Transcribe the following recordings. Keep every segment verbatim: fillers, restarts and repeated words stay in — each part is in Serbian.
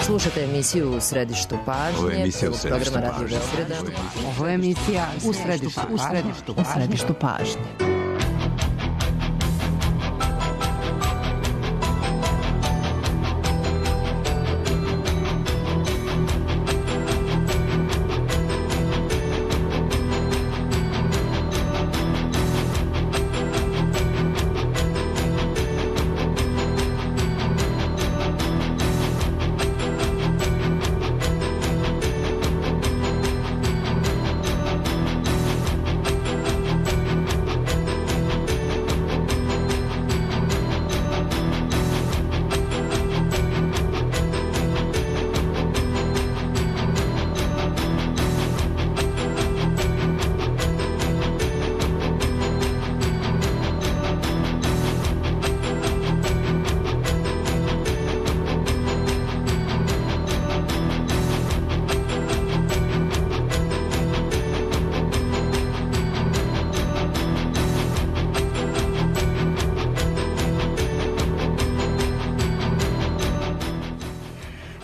Slušate emisiju U središtu pažnje. Ovo je emisija U središtu pažnje. Ovo je emisija U središtu pažnje. U središtu pažnje.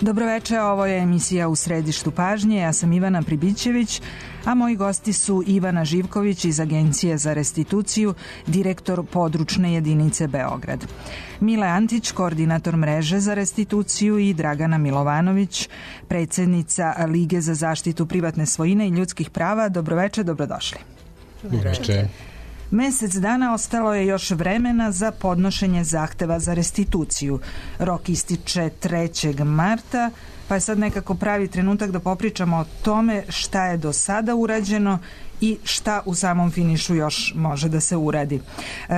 Dobroveče, ovo je emisija U središtu pažnje, ja sam Ivana Pribićević, a moji gosti su Ivana Živković iz Agencije za restituciju, direktor područne jedinice Beograd, Mile Antić, koordinator mreže za restituciju i Dragana Milovanović, predsjednica Lige za zaštitu privatne svojine i ljudskih prava. Dobroveče, dobrodošli. Dobroveče. Mesec dana ostalo je još vremena za podnošenje zahteva za restituciju. Rok ističe trećeg marta, pa je sad nekako pravi trenutak da popričamo o tome šta je do sada urađeno i šta u samom finišu još može da se uradi. E,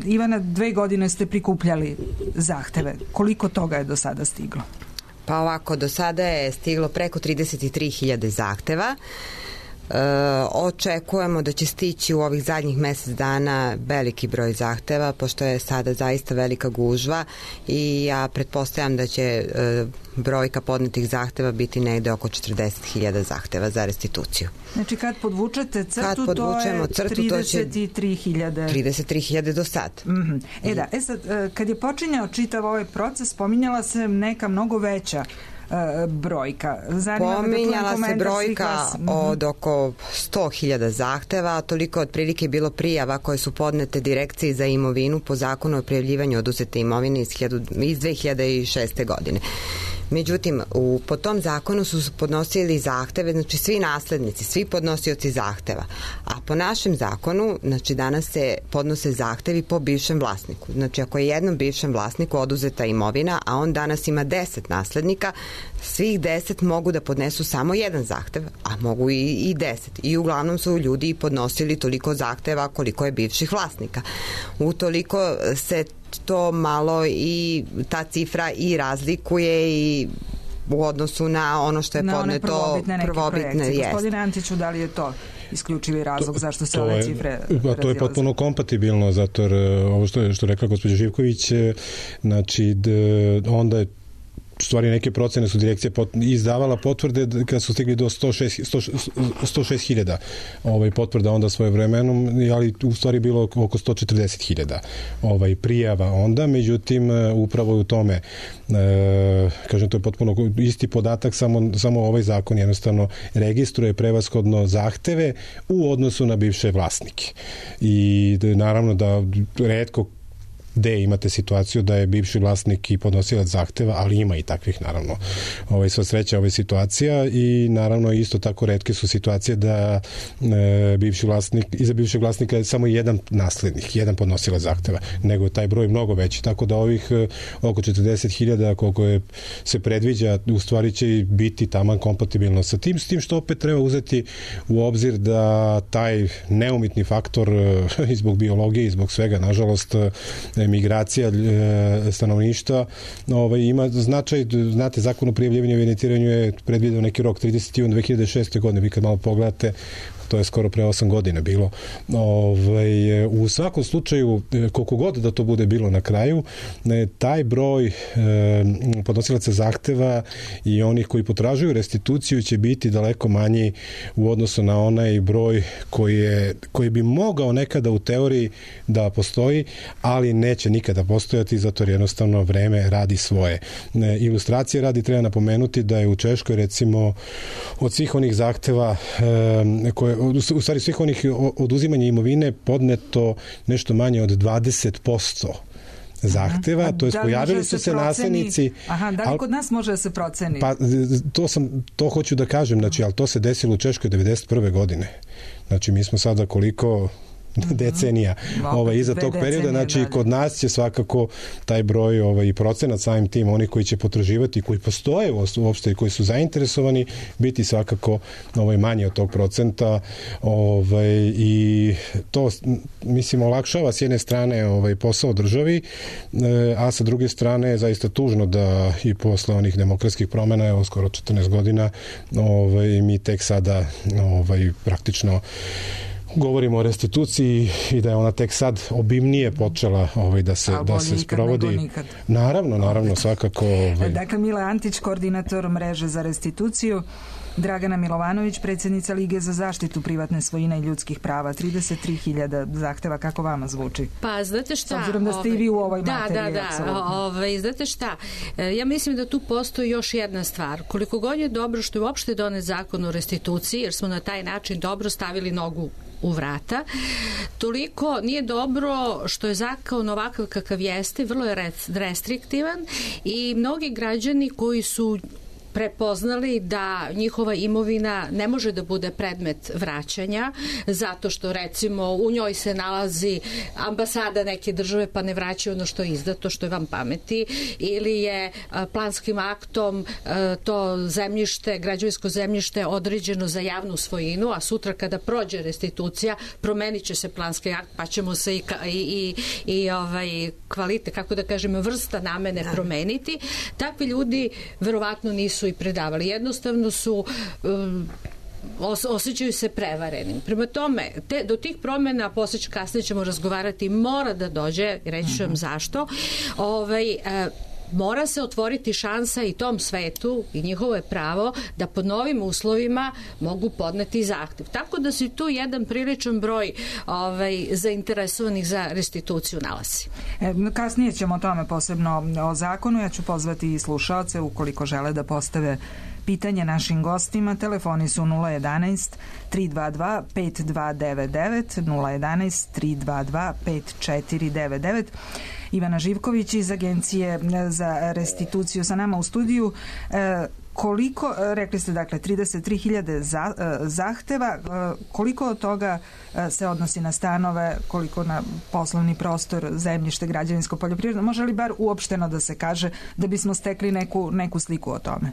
Ivana, dve godine ste prikupljali zahteve. Koliko toga je do sada stiglo? Pa ovako, do sada je stiglo preko trideset tri hiljade zahteva. E, očekujemo da će stići u ovih zadnjih mesec dana veliki broj zahteva, pošto je sada zaista velika gužva i ja pretpostavljam da će e, brojka podnetih zahteva biti negde oko četrdeset hiljada zahteva za restituciju. Znači kad podvučete crtu, kad to je crtu, trideset tri hiljade. trideset tri hiljade do sad. Mm-hmm. E da, e sad, kad je počinjao čitav ovaj proces, spominjala se neka mnogo veća brojka. Zanima Pominjala se brojka od oko sto hiljada zahteva, toliko otprilike je bilo prijava koje su podnete Direkciji za imovinu po zakonu o prijavljivanju oduzete imovine iz, iz dve hiljade šeste. godine. Međutim, u, po tom zakonu su podnosili zahteve, znači svi naslednici, svi podnosioci zahteva. A po našem zakonu, znači danas se podnose zahtevi po bivšem vlasniku. Znači ako je jednom bivšem vlasniku oduzeta imovina, a on danas ima deset naslednika, svih deset mogu da podnesu samo jedan zahtev, a mogu i, i deset. I uglavnom su ljudi podnosili toliko zahteva koliko je bivših vlasnika. Utoliko se to malo i ta cifra i razlikuje i u odnosu na ono što je na podneto prvobitne, prvobitne Gospodine Antiću, da li je to isključivi razlog to, zašto se to ove je, cifre to je potpuno kompatibilno, zato jer ovo što je, što rekla gospođa Živković, znači d, onda je u stvari neke procene su direkcija pot, izdavala potvrde kada su stigli do sto šest hiljada ovaj, potvrda onda svoje vremenom, ali u stvari bilo oko sto četrdeset hiljada ovaj, prijava onda, međutim upravo u tome e, kažem, to je potpuno isti podatak, samo, samo ovaj zakon jednostavno registruje prevashodno zahteve u odnosu na bivše vlasnike i naravno da retko gde imate situaciju da je bivši vlasnik i podnosilac zahteva, ali ima i takvih naravno. Ovaj, sva sreća ova situacija i naravno isto tako retke su situacije da e, bivši vlasnik, iza bivšeg vlasnika je samo jedan naslednik, jedan podnosilac zahteva, nego je taj broj mnogo veći, tako da ovih e, oko četrdeset hiljada koliko je, se predviđa, u stvari će biti taman kompatibilno sa tim, s tim što opet treba uzeti u obzir da taj neumitni faktor e, i zbog biologije i zbog svega, nažalost, migracija stanovništva ovaj, ima značaj, znate, zakon o prijavljivanju i evidentiranju je predvideo neki rok trideset juna dve hiljade šeste. godine, vi kad malo pogledate to je skoro pre osam godina bilo. Ovaj, u svakom slučaju, koliko god da to bude bilo na kraju, taj broj podnosilaca zahteva i onih koji potražuju restituciju će biti daleko manji u odnosu na onaj broj koji, je, koji bi mogao nekada u teoriji da postoji, ali neće nikada postojati, zato jer jednostavno vreme radi svoje. Ilustracije radi treba napomenuti da je u Češkoj recimo od svih onih zahteva koje, u stvari svih onih oduzimanja imovine podneto nešto manje od dvadeset posto zahteva, to je da pojavili su se, se nasljednici. Aha, da li kod nas može da se proceni? Pa to sam, to hoću da kažem, znači, ali to se desilo u Češkoj devedeset prve godine. Znači, mi smo sada koliko decenija ovaj, iza tog perioda, znači kod nas će svakako taj broj ovaj, i procenat samim tim, oni koji će potraživati, koji postoje uopšte i koji su zainteresovani, biti svakako ovaj, manje od tog procenta ovaj, i to mislim olakšava s jedne strane ovaj, posao državi, a sa druge strane je zaista tužno da i posle onih demokratskih promena, evo skoro četrnaest godina, ovaj, mi tek sada ovaj, praktično govorimo o restituciji i da je ona tek sad obimnije počela ovaj, da se, da se sprovodi. Naravno, naravno, svakako. Ovaj. Dakle, Mile Antić, koordinator mreže za restituciju, Dragana Milovanović, predsjednica Lige za zaštitu privatne svojine i ljudskih prava. trideset tri hiljade zahteva, kako vama zvuči? Pa, znate šta? S obzirom da ste i vi u ovoj da, materiji. Da, da, da. Ovaj, znate šta? Ja mislim da tu postoji još jedna stvar. Koliko god je dobro što je uopšte donet zakon o restituciji, jer smo na taj način dobro stavili nogu u vrata, toliko nije dobro što je zakon ovakav kakav jeste, vrlo je restriktivan i mnogi građani koji su prepoznali da njihova imovina ne može da bude predmet vraćanja zato što recimo u njoj se nalazi ambasada neke države pa ne vraćaju ono što je izdato, što je vam pameti, ili je planskim aktom to zemljište, građevinsko zemljište određeno za javnu svojinu, a sutra kada prođe restitucija promenit će se planski akt pa ćemo se i, i, i, i ovaj, kvalite, kako da kažemo, vrsta namene promeniti. Takvi ljudi verovatno nisu i predavali. Jednostavno su um, os, osjećaju se prevarenim. Prema tome, te, do tih promjena posle kasnije ćemo razgovarati, mora da dođe, reći ću vam zašto, ovaj, uh, mora se otvoriti šansa i tom svetu i njihovo je pravo da pod novim uslovima mogu podneti zahtev. Tako da se tu jedan priličan broj ovaj, zainteresovanih za restituciju nalazi. E, kasnije ćemo o tome posebno o zakonu. Ja ću pozvati i slušaoce ukoliko žele da postave pitanje našim gostima. Telefoni su nula jedanaest tri dva dva pet dva devet devet, nula jedanaest tri dva dva pet četiri devet devet. Ivana Živković iz Agencije za restituciju sa nama u studiju. E, koliko, rekli ste dakle trideset tri hiljade za, zahteva, koliko od toga se odnosi na stanove, koliko na poslovni prostor, zemljište, građevinsko, poljoprivredno? Može li bar uopšteno da se kaže da bismo stekli neku, neku sliku o tome?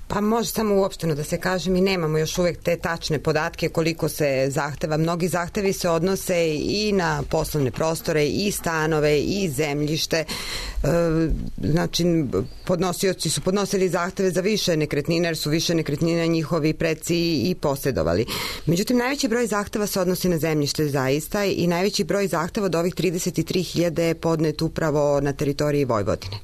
Pa može samo uopšteno da se kaže, mi nemamo još uvijek te tačne podatke koliko se zahteva. Mnogi zahtevi se odnose i na poslovne prostore, i stanove, i zemljište. E, znači, podnosioci su podnosili zahteve za više nekretnine, jer su više nekretnina njihovi preci i posjedovali. Međutim, najveći broj zahteva se odnosi na zemljište zaista i najveći broj zahteva od ovih trideset tri hiljade je podnet upravo na teritoriji Vojvodine.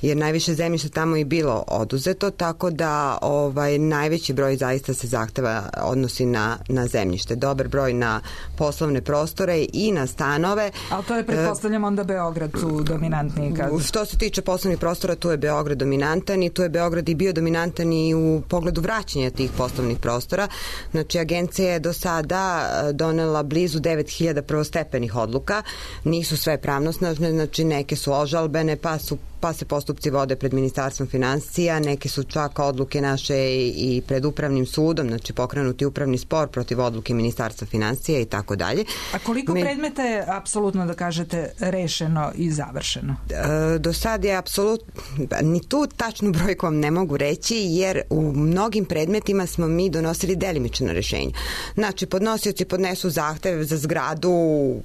Jer najviše zemljišta tamo i bilo oduzeto, tako da ovaj, najveći broj zaista se zahteva odnosi na, na zemljište. Dobar broj na poslovne prostore i na stanove. Ali to je, pretpostavljam, onda Beograd tu dominantniji? Kad... Što se tiče poslovnih prostora, tu je Beograd dominantan i tu je Beograd i bio dominantan i u pogledu vraćanja tih poslovnih prostora. Znači, agencija je do sada donela blizu devet hiljada prvostepenih odluka. Nisu sve pravnosnažne, znači neke su ožalbene, pa su pa se postupci vode pred Ministarstvom finansija, neke su čak odluke naše i pred upravnim sudom, znači pokrenuti upravni spor protiv odluke Ministarstva finansija i tako dalje. A koliko Me... predmeta je apsolutno, da kažete, rešeno i završeno? E, do sad je apsolutno, ni tu tačnu brojku vam ne mogu reći, jer u mnogim predmetima smo mi donosili delimično rešenje. Znači, podnosioci podnesu zahtev za zgradu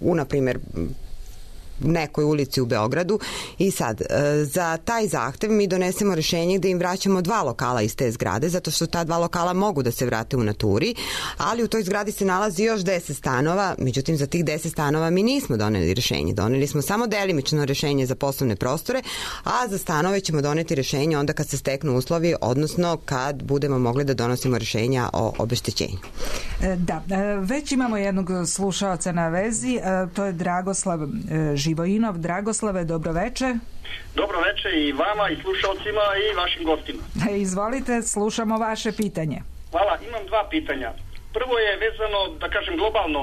u, na primjer, nekoj ulici u Beogradu i sad za taj zahtev mi donesemo rešenje gde im vraćamo dva lokala iz te zgrade, zato što ta dva lokala mogu da se vrate u naturi, ali u toj zgradi se nalazi još deset stanova, međutim za tih deset stanova mi nismo doneli rešenje, doneli smo samo delimično rešenje za poslovne prostore, a za stanove ćemo doneti rešenje onda kad se steknu uslovi, odnosno kad budemo mogli da donosimo rešenja o obeštećenju. Da, već imamo jednog slušaoca na vezi, to je Dragoslav Živojinov. Dragoslave, dobroveče. Dobroveče i vama i slušalcima i vašim gostima. Izvolite, slušamo vaše pitanje. Hvala, imam dva pitanja. Prvo je vezano, da kažem, globalno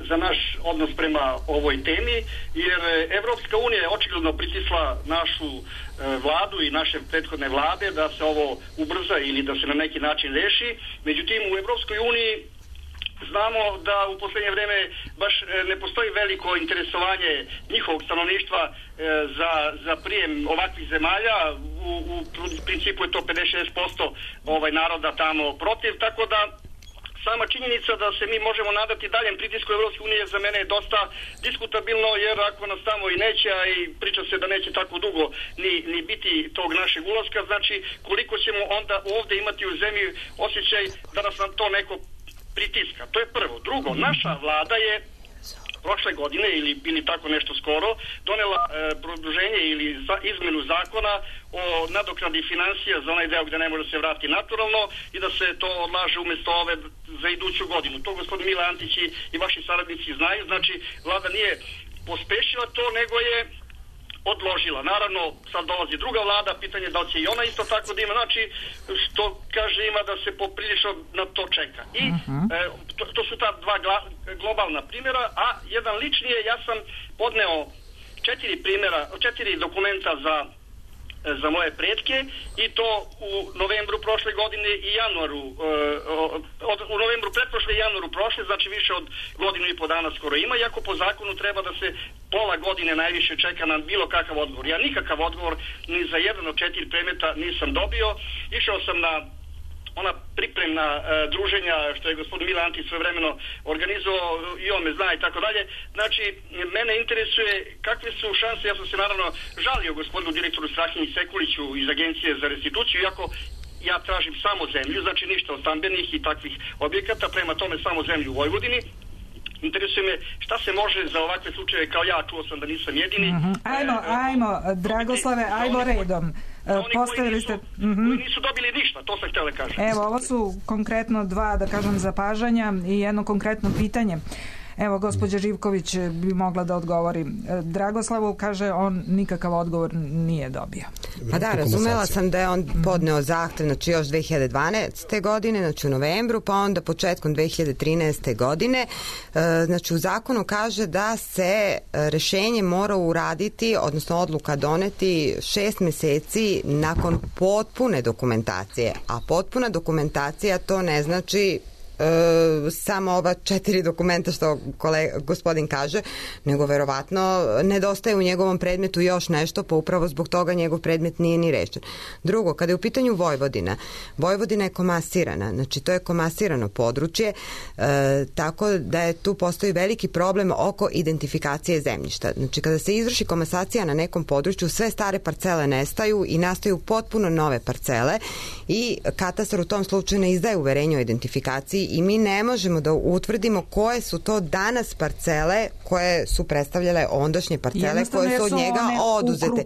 za naš odnos prema ovoj temi, jer Evropska unija je očigledno pritisla našu e, vladu i naše prethodne vlade da se ovo ubrza ili da se na neki način reši. Međutim, u Evropskoj uniji znamo da u poslednje vreme baš ne postoji veliko interesovanje njihovog stanovništva e, za, za prijem ovakvih zemalja. U, u principu je to pedeset šest posto ovaj naroda tamo protiv, tako da sama činjenica da se mi možemo nadati daljem pritisku Evropske unije za mene je dosta diskutabilno, jer ako nas tamo i neće, a i priča se da neće tako dugo ni, ni biti tog našeg ulaska, znači koliko ćemo onda ovde imati u zemlji osjećaj da nas na to neko pritiska. To je prvo. Drugo, naša vlada je prošle godine ili, ili tako nešto skoro donela e, produženje ili za, izmenu zakona o nadoknadi finansija za onaj deo gde ne može se vrati naturalno i da se to odlaže umesto ove za iduću godinu. To gospodin Mile Antić i, i vaši saradnici znaju. Znači, vlada nije pospešila to, nego je odložila. Naravno, sad dolazi druga vlada, pitanje da li će i ona isto tako da ima, znači, što kaže ima da se poprilično na to čeka. I uh-huh. e, to, to su ta dva gla, globalna primjera, a jedan lični je, ja sam podneo četiri primjera, četiri dokumenta za za moje pretke i to u novembru prošle godine i januaru od, u novembru pretprošle i januaru prošle, znači više od godinu i po dana skoro ima, iako po zakonu treba da se pola godine najviše čeka na bilo kakav odgovor. Ja nikakav odgovor ni za jedan od četiri predmeta nisam dobio. Išao sam na ona pripremna e, druženja što je gospodin Mile Antić svojevremeno organizovao i on me zna i tako dalje. Znači, mene interesuje kakve su šanse, ja sam se naravno žalio gospodinu direktoru Strahinji Sekuliću iz Agencije za restituciju, iako ja tražim samo zemlju, znači ništa od stambenih i takvih objekata, prema tome samo zemlju u Vojvodini. Interesuje me šta se može za ovakve slučaje kao ja, čuo sam da nisam jedini. Mm-hmm. Ajmo, e, ajmo, Dragoslave, ajmo redom. Oni Postavili ste... koji nisu, koji nisu dobili ništa, to sam htjela kažem. Evo, ovo su konkretno dva, da kažem, zapažanja i jedno konkretno pitanje. Evo, gospođa Živković bi mogla da odgovori. Dragoslavu kaže, on nikakav odgovor nije dobio. Pa da, razumela sam da je on podneo zahtev, znači još dve hiljade dvanaeste. godine, znači u novembru, pa onda početkom dve hiljade trinaeste. godine. Znači u zakonu kaže da se rešenje mora uraditi, odnosno odluka doneti šest meseci nakon potpune dokumentacije. A potpuna dokumentacija to ne znači E, samo ova četiri dokumenta što kolega, gospodin kaže, nego verovatno nedostaje u njegovom predmetu još nešto, pa upravo zbog toga njegov predmet nije ni rešen. Drugo, kada je u pitanju Vojvodina, Vojvodina je komasirana, znači to je komasirano područje, e, tako da je tu postoji veliki problem oko identifikacije zemljišta. Znači kada se izvrši komasacija na nekom području, sve stare parcele nestaju i nastaju potpuno nove parcele i katastar u tom slučaju ne izdaje uverenje o identifikaciji i mi ne možemo da utvrdimo koje su to danas parcele koje su predstavljale ondašnje parcele koje su od njega oduzete.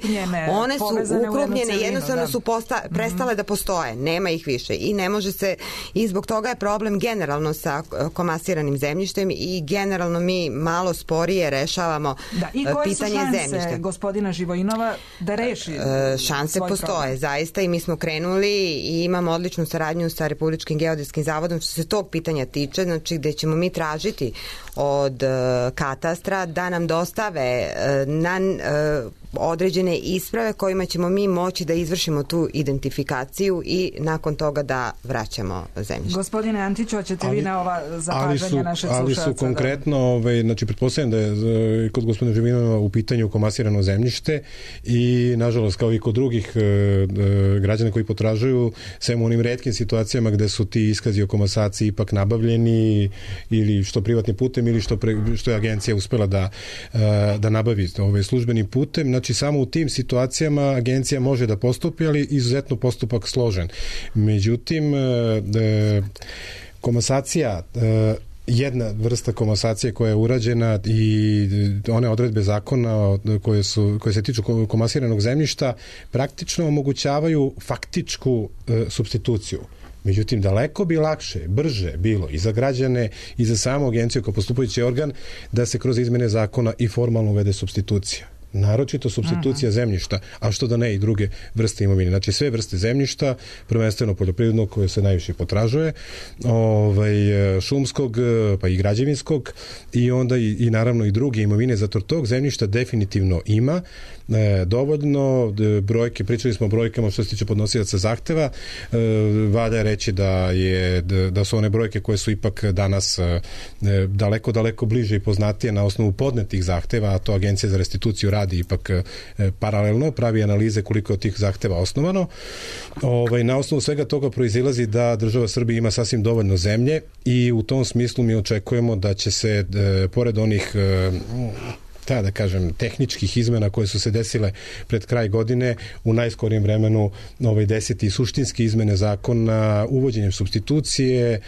One su ukrupnjene, jednostavno su posta, prestale da postoje, nema ih više i ne može se, i zbog toga je problem generalno sa komasiranim zemljištem i generalno mi malo sporije rešavamo da, i pitanje zemljišta. I koje su šanse gospodina Živojinova da reši e, šanse postoje, problem. Zaista, i mi smo krenuli i imamo odličnu saradnju sa Republičkim geodetskim zavodom što se tog pitanja tiče, znači gde ćemo mi tražiti od uh, katastra da nam dostave uh, na uh, određene isprave kojima ćemo mi moći da izvršimo tu identifikaciju i nakon toga da vraćamo zemljište. Gospodine Antiću, hoćete vi na ova zapažanja našeg slušalca? Ali su konkretno, ovaj, znači pretpostavljam da je kod gospodina Živinova u pitanju komasirano zemljište i nažalost kao i kod drugih e, e, građana koji potražuju, sem u onim retkim situacijama gde su ti iskazi o komasaciji ipak nabavljeni ili što privatnim putem ili što, pre, što je agencija uspela da, e, da nabavi ovaj, službenim putem. Znači samo u tim situacijama agencija može da postupi, ali izuzetno postupak složen. Međutim, e, e, komasacija e, jedna vrsta komasacije koja je urađena i one odredbe zakona koje, su, koje se tiču komasiranog zemljišta praktično omogućavaju faktičku e, supstituciju. Međutim, daleko bi lakše, brže bilo i za građane i za samu agenciju kao postupajući organ da se kroz izmene zakona i formalno uvede supstitucija. Naročito supstitucija Aha. zemljišta, a što da ne i druge vrste imovine. Znači sve vrste zemljišta, prvenstveno poljoprivrednog koje se najviše potražuje, ovaj, šumskog pa i građevinskog i onda i, i naravno i druge imovine, zato tog zemljišta definitivno ima e, dovoljno brojke, pričali smo o brojkama što se tiče podnosilaca zahteva, e, valja reći da, je, da su one brojke koje su ipak danas e, daleko, daleko bliže i poznatije na osnovu podnetih zahteva, a to Agencija za restituciju radi ipak e, paralelno, pravi analize koliko je od tih zahteva osnovano. Ovaj, na osnovu svega toga proizilazi da država Srbija ima sasvim dovoljno zemlje i u tom smislu mi očekujemo da će se, e, pored onih e, ta, da kažem, tehničkih izmena koje su se desile pred kraj godine, u najskorijem vremenu ovaj deseti suštinski izmene zakona uvođenjem supstitucije e,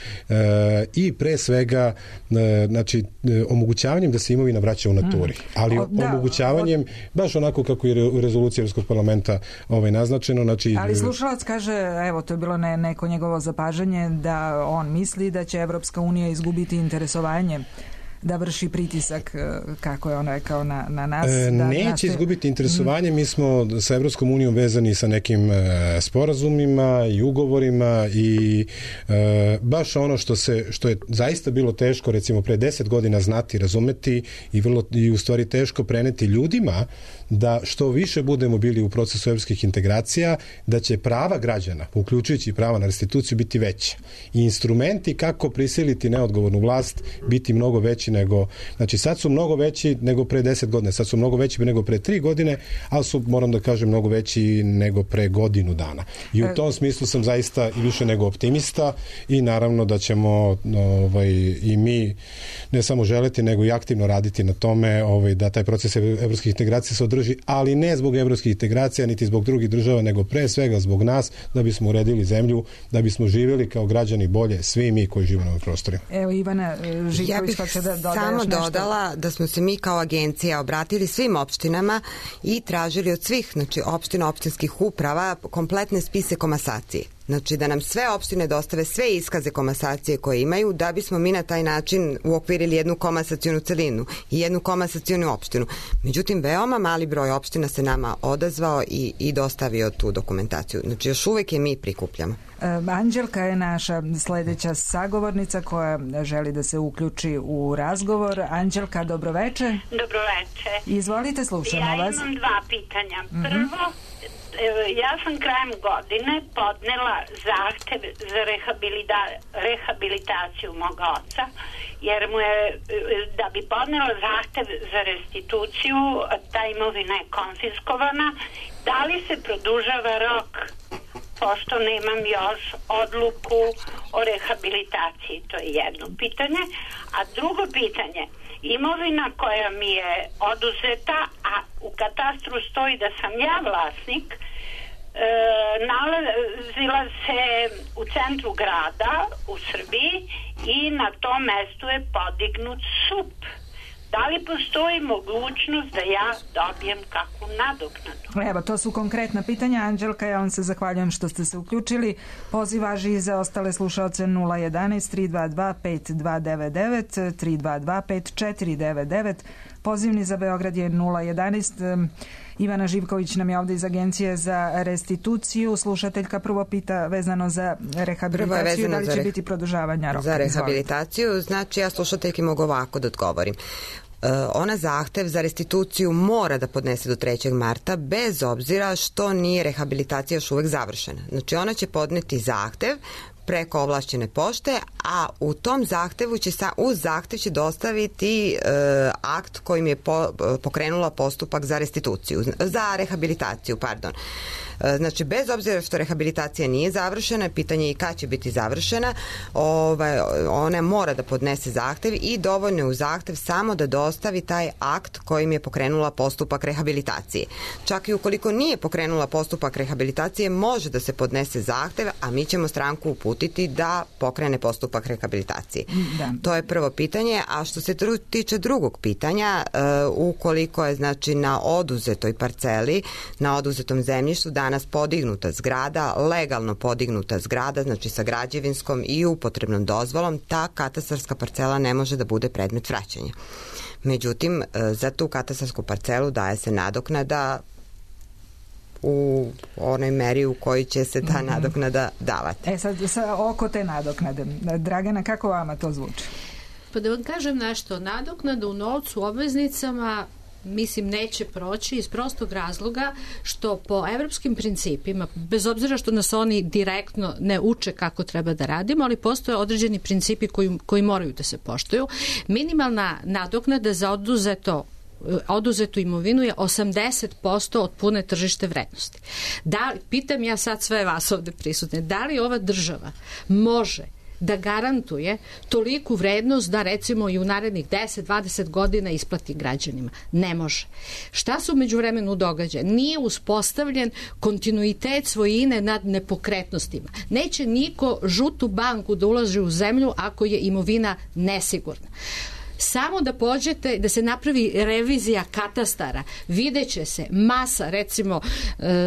i pre svega e, znači, e, omogućavanjem da se imovina vraća u naturi. Ali o, da, omogućavanjem, baš onako kako je u rezoluciji Evropskog parlamenta ovaj, naznačeno. Znači, ali slušalac kaže, evo, to je bilo ne, neko njegovo zapažanje, da on misli da će Evropska unija izgubiti interesovanje da vrši pritisak, kako je on rekao, na, na nas. E, da neće nastoji... izgubiti interesovanje, mi smo sa Evropskom unijom vezani sa nekim e, sporazumima i ugovorima i e, baš ono što se, što je zaista bilo teško, recimo pre deset godina znati, razumeti i, vrlo, i u stvari teško preneti ljudima, da što više budemo bili u procesu evropskih integracija, da će prava građana, uključujući prava na restituciju, biti veće. I instrumenti kako prisiliti neodgovornu vlast biti mnogo veći nego, znači sad su mnogo veći nego pre deset godina, sad su mnogo veći nego pre tri godine, ali su, moram da kažem, mnogo veći nego pre godinu dana. I u tom smislu sam zaista i više nego optimista i naravno da ćemo ovaj, i mi ne samo želeti, nego i aktivno raditi na tome ovaj, da taj proces evropskih integracija se održi, ali ne zbog evropskih integracija, niti zbog drugih država, nego pre svega zbog nas, da bismo uredili zemlju, da bismo živjeli kao građani bolje, svi mi koji živimo na ovim prostorima. Evo, Ivana Živković, pa će da dodaš samo nešto. Dodala da smo se mi kao agencija obratili svim opštinama i tražili od svih, znači opština, opštinskih uprava, kompletne spise komasacije. Znači da nam sve opštine dostave sve iskaze komasacije koje imaju, da bismo mi na taj način uokvirili jednu komasacionu celinu i jednu komasacionu opštinu. Međutim, veoma mali broj opština se nama odazvao i, i dostavio tu dokumentaciju. Znači još uvek je mi prikupljamo. Anđelka je naša sledeća sagovornica koja želi da se uključi u razgovor. Anđelka, dobroveče. Dobroveče. Izvolite, slušamo ja vas. Ja imam dva pitanja. Prvo, ja sam krajem godine podnela zahtev za rehabilita, rehabilitaciju moga oca, jer mu je, da bi podnela zahtev za restituciju, ta imovina je konfiskovana. Da li se produžava rok, pošto nemam još odluku o rehabilitaciji? To je jedno pitanje. A drugo pitanje, imovina koja mi je oduzeta, a u katastru stoji da sam ja vlasnik, e, nalazila se u centru grada u Srbiji i na tom mestu je podignut S U P. Da li postoji mogućnost da ja dobijem kakvu nadoknadu? Evo, to su konkretna pitanja. Anđelka, ja vam se zahvaljujem što ste se uključili. Poziv važi i za ostale slušalce nula jedanaest tri dva dva pet dva devet devet, tri dva dva pet četiri devet devet. Pozivni za Beograd je nula jedanaest. Ivana Živković nam je ovde iz Agencije za restituciju. Slušateljka prvo pita vezano za rehabilitaciju, da li će za re... biti produžavanja roka. Za rehabilitaciju, znači ja slušateljki mogu ovako da odgovorim. ona zahtev za restituciju mora da podnese do trećeg marta, bez obzira što nije rehabilitacija još uvek završena. Znači ona će podneti zahtev preko ovlašćene pošte, a u tom zahtevu će sa, uz zahtev će dostaviti e, akt kojim je po, pokrenula postupak za restituciju, za rehabilitaciju, pardon. Znači, bez obzira što rehabilitacija nije završena, pitanje je i kad će biti završena, ovaj, ona mora da podnese zahtev i dovoljno je u zahtev samo da dostavi taj akt kojim je pokrenula postupak rehabilitacije. Čak i ukoliko nije pokrenula postupak rehabilitacije, može da se podnese zahtev, a mi ćemo stranku uputiti da pokrene postupak rehabilitacije. Da. To je prvo pitanje, a što se tiče drugog pitanja, uh, ukoliko je znači na oduzetoj parceli, na oduzetom zemljištu, da danas podignuta zgrada, legalno podignuta zgrada, znači sa građevinskom i upotrebnom dozvolom, ta katastarska parcela ne može da bude predmet vraćanja. Međutim, za tu katastarsku parcelu daje se nadoknada u onoj meri u kojoj će se ta nadoknada davati. E sad, sa, oko te nadoknade, Dragana, kako vama to zvuči? Pa da vam kažem nešto, nadoknada u novcu, obveznicama, mislim, neće proći iz prostog razloga što po evropskim principima, bez obzira što nas oni direktno ne uče kako treba da radimo, ali postoje određeni principi koji, koji moraju da se poštuju. Minimalna nadoknada za oduzeto oduzetu imovinu je osamdeset posto od pune tržište vrednosti. Da, pitam ja sad sve vas ovde prisutne, da li ova država može da garantuje toliku vrednost da recimo i u narednih deset dvadeset godina isplati građanima? Ne može. Šta se u međuvremenu događa? Nije uspostavljen kontinuitet svojine nad nepokretnostima. Neće niko žutu banku da ulaže u zemlju ako je imovina nesigurna. Samo da pođete, da se napravi revizija katastara, videće se masa, recimo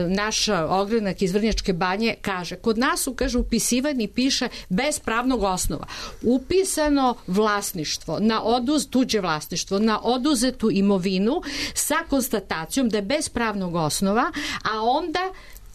naša ogrenak iz Vrnjačke Banje kaže, kod nas su, kaže, upisivani piše bez pravnog osnova. Upisano vlasništvo, na oduz, tuđe vlasništvo, na oduzetu imovinu sa konstatacijom da je bez pravnog osnova, a onda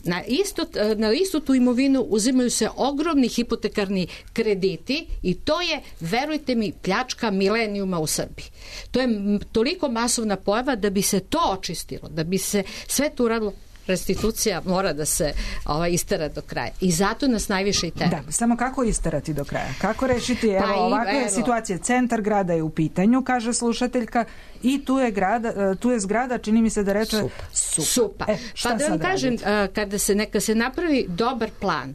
Na, isto, na istu tu imovinu uzimaju se ogromni hipotekarni krediti i to je, verujte mi, pljačka milenijuma u Srbiji. To je toliko masovna pojava da bi se to očistilo, da bi se sve to uradilo. Restitucija mora da se ovaj, istera do kraja. I zato nas najviše i tera. Da, samo kako isterati do kraja? Kako rešiti? Evo, pa ovakva je situacija. Centar grada je u pitanju, kaže slušateljka, i tu je, grada, tu je zgrada, čini mi se da reče Supa. Supa. E, pa da vam kažem, kada se, neka se napravi dobar plan,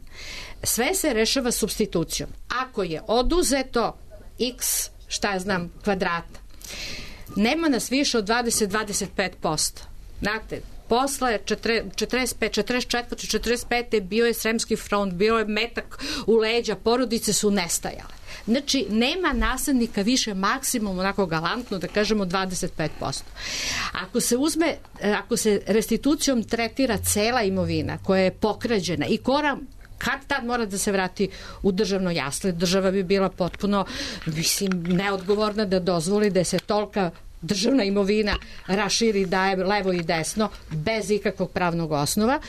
sve se rešava supstitucijom. Ako je oduzeto x, šta ja znam, kvadrata, nema nas više od dvadeset do dvadeset pet posto. Znate, posle četrdeset pet, četrdeset četiri, četrdeset pet bio je Sremski front, bio je metak u leđa, porodice su nestajale. Znači, nema naslednika više, maksimum onako galantno, da kažemo dvadeset pet posto. Ako se uzme, ako se restitucijom tretira cela imovina koja je pokrađena i kora kad tad mora da se vrati u državno jasle, država bi bila potpuno, mislim, neodgovorna da dozvoli da se tolika državna imovina raširi, daje levo i desno bez ikakvog pravnog osnova.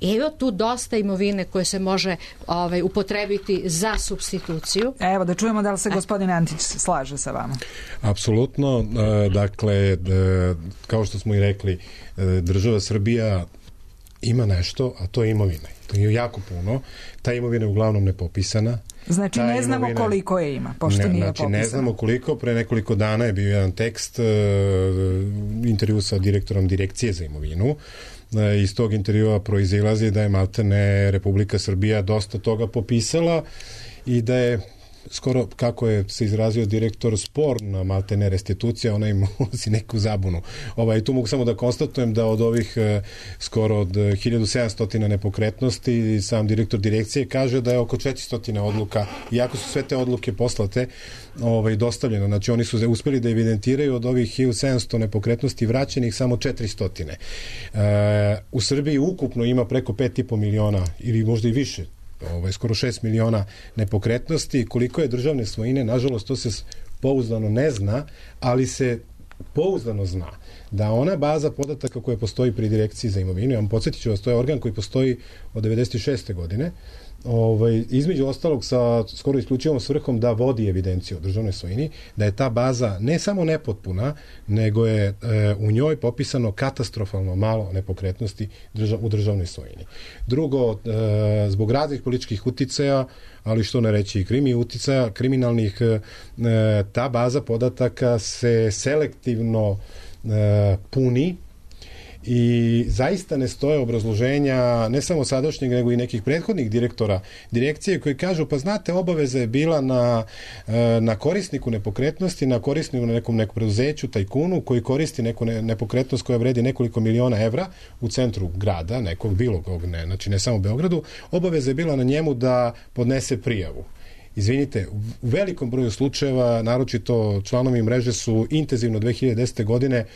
Evo tu dosta imovine koje se može ovaj, upotrebiti za supstituciju. Evo da čujemo da li se gospodin Antić slaže sa vama. Apsolutno. Dakle, kao što smo i rekli, država Srbija ima nešto, a to je imovina. To je jako puno. Ta imovina je uglavnom nepopisana. Znači ne znamo imovina, koliko je ima, pošto ne, nije znači, popisano. Ne znamo koliko, pre nekoliko dana je bio jedan tekst, uh, intervju sa direktorom Direkcije za imovinu. Uh, iz tog intervjua proizilazi da je maltene Republika Srbija dosta toga popisala i da je skoro, kako je se izrazio direktor, sporna maltene restitucija, ona im ulazi neku zabunu. Ovaj, tu mogu samo da konstatujem da od ovih eh, skoro od hiljadu sedamsto nepokretnosti sam direktor direkcije kaže da je oko četiristo odluka, iako su sve te odluke poslate, ovaj, dostavljeno. Znači oni su uspeli da evidentiraju od ovih hiljadu sedamsto nepokretnosti vraćenih samo četiristo. E, u Srbiji ukupno ima preko pet i po miliona ili možda i više, ovaj, skoro šest miliona nepokretnosti. Koliko je državne svojine, nažalost to se pouzdano ne zna, ali se pouzdano zna da ona baza podataka koja postoji pri Direkciji za imovinu, ja vam podsjetit ću vas, to je organ koji postoji od devedeset šeste godine ovaj, između ostalog sa skoro isključivom svrhom da vodi evidenciju o državnoj svojini, da je ta baza ne samo nepotpuna, nego je e, u njoj popisano katastrofalno malo nepokretnosti držav, u državnoj svojini. Drugo, e, zbog raznih političkih uticaja, ali što ne reći i krimi uticaja, kriminalnih, e, ta baza podataka se selektivno e, puni i zaista ne stoje obrazloženja ne samo sadašnjeg, nego i nekih prethodnih direktora direkcije koji kažu, pa znate, obaveza je bila na, na korisniku nepokretnosti, na korisniku na nekom nekom preduzeću, tajkunu, koji koristi neku ne, nepokretnost koja vredi nekoliko miliona evra u centru grada, nekog bilo kog, ne, znači ne samo Beogradu, obaveza je bila na njemu da podnese prijavu. Izvinite, u velikom broju slučajeva, naročito članovi mreže su intenzivno dve hiljade desete. godine e,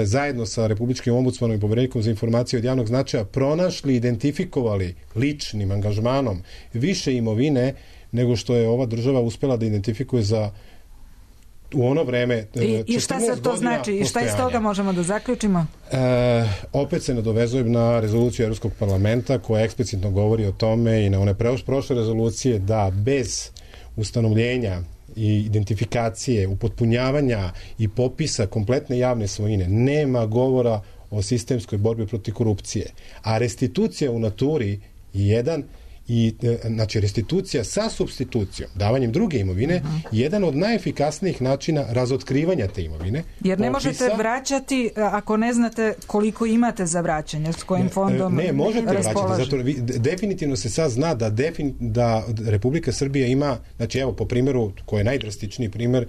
zajedno sa Republičkim ombudsmanom i Poverenikom za informacije od javnog značaja pronašli, identifikovali ličnim angažmanom više imovine nego što je ova država uspela da identifikuje za u ono vreme I, i šta se to znači? I šta iz toga možemo da zaključimo? E, opet se nadovezujem na rezoluciju Evropskog parlamenta koja eksplicitno govori o tome i na one prošle rezolucije da bez ustanovljenja i identifikacije, upotpunjavanja i popisa kompletne javne svojine nema govora o sistemskoj borbi protiv korupcije. A restitucija u naturi je jedan i znači restitucija sa supstitucijom, davanjem druge imovine, uh-huh. jedan od najefikasnijih načina razotkrivanja te imovine. Jer ne popisa, možete vraćati ako ne znate koliko imate za vraćanje, s kojim fondom ne, ne možete vraćati, zato vi, definitivno se sad zna da, defin, da Republika Srbija ima, znači evo po primjeru, koji je najdrastičniji primjer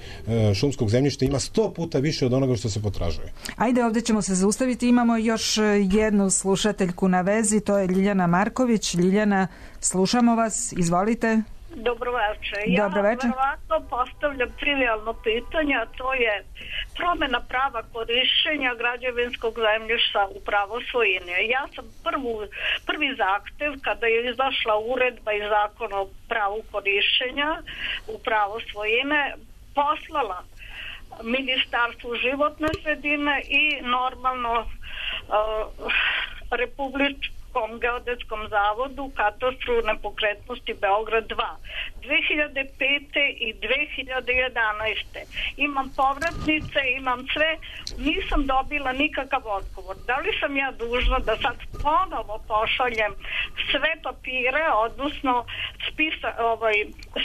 šumskog zemljišta, ima sto puta više od onoga što se potražuje. Ajde, ovdje ćemo se zaustaviti, imamo još jednu slušateljku na vezi, to je Ljiljana Marković. Ljiljana, slušamo vas, izvolite. Dobro večer. Ja verovatno postavljam trivialno pitanje, a to je promjena prava korišćenja građevinskog zemljišta u pravo svojine. Ja sam prvu, prvi zahtev kada je izašla uredba i zakon o pravu korišćenja u pravo svojine poslala Ministarstvu životne sredine i normalno uh, Republičku geodetskom zavodu katastru nepokretnosti Beograd dva. dve hiljade pete i dve hiljade jedanaeste. Imam povratnice, imam sve, nisam dobila nikakav odgovor. Da li sam ja dužna da sad ponovo pošaljem sve papire, odnosno spisa, ovaj,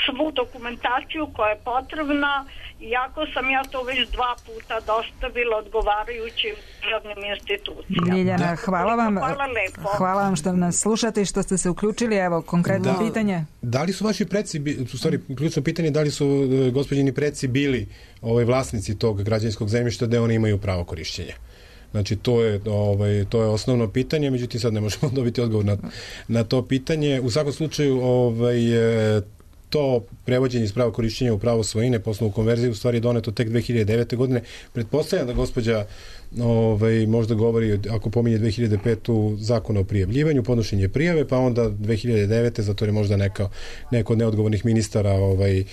svu dokumentaciju koja je potrebna, iako sam ja to već dva puta dostavila odgovarajućim državnim institucijama. Ljiljana, hvala vam. Hvala lepo. Hvala vam što nas slušate i što ste se uključili. Evo, konkretno da, pitanje. Da li su vaši preci, u stvari, ključno pitanje, da li su gospođini preci bili ovaj, vlasnici tog građevinskog zemljišta da oni imaju pravo korišćenja? Znači, to je, ovaj, to je osnovno pitanje, međutim sad ne možemo dobiti odgovor na, na to pitanje. U svakom slučaju, ovaj, to prevođenje iz prava korišćenja u pravo svojine po osnovu konverzije u stvari je doneto tek dve hiljade devete. godine. Pretpostavljam da gospođa ovaj, možda govori, ako pominje dve hiljade petu zakon o prijavljivanju, podnošenje prijave, pa onda dve hiljade devete. zato je možda neka, neko od neodgovornih ministara ovaj,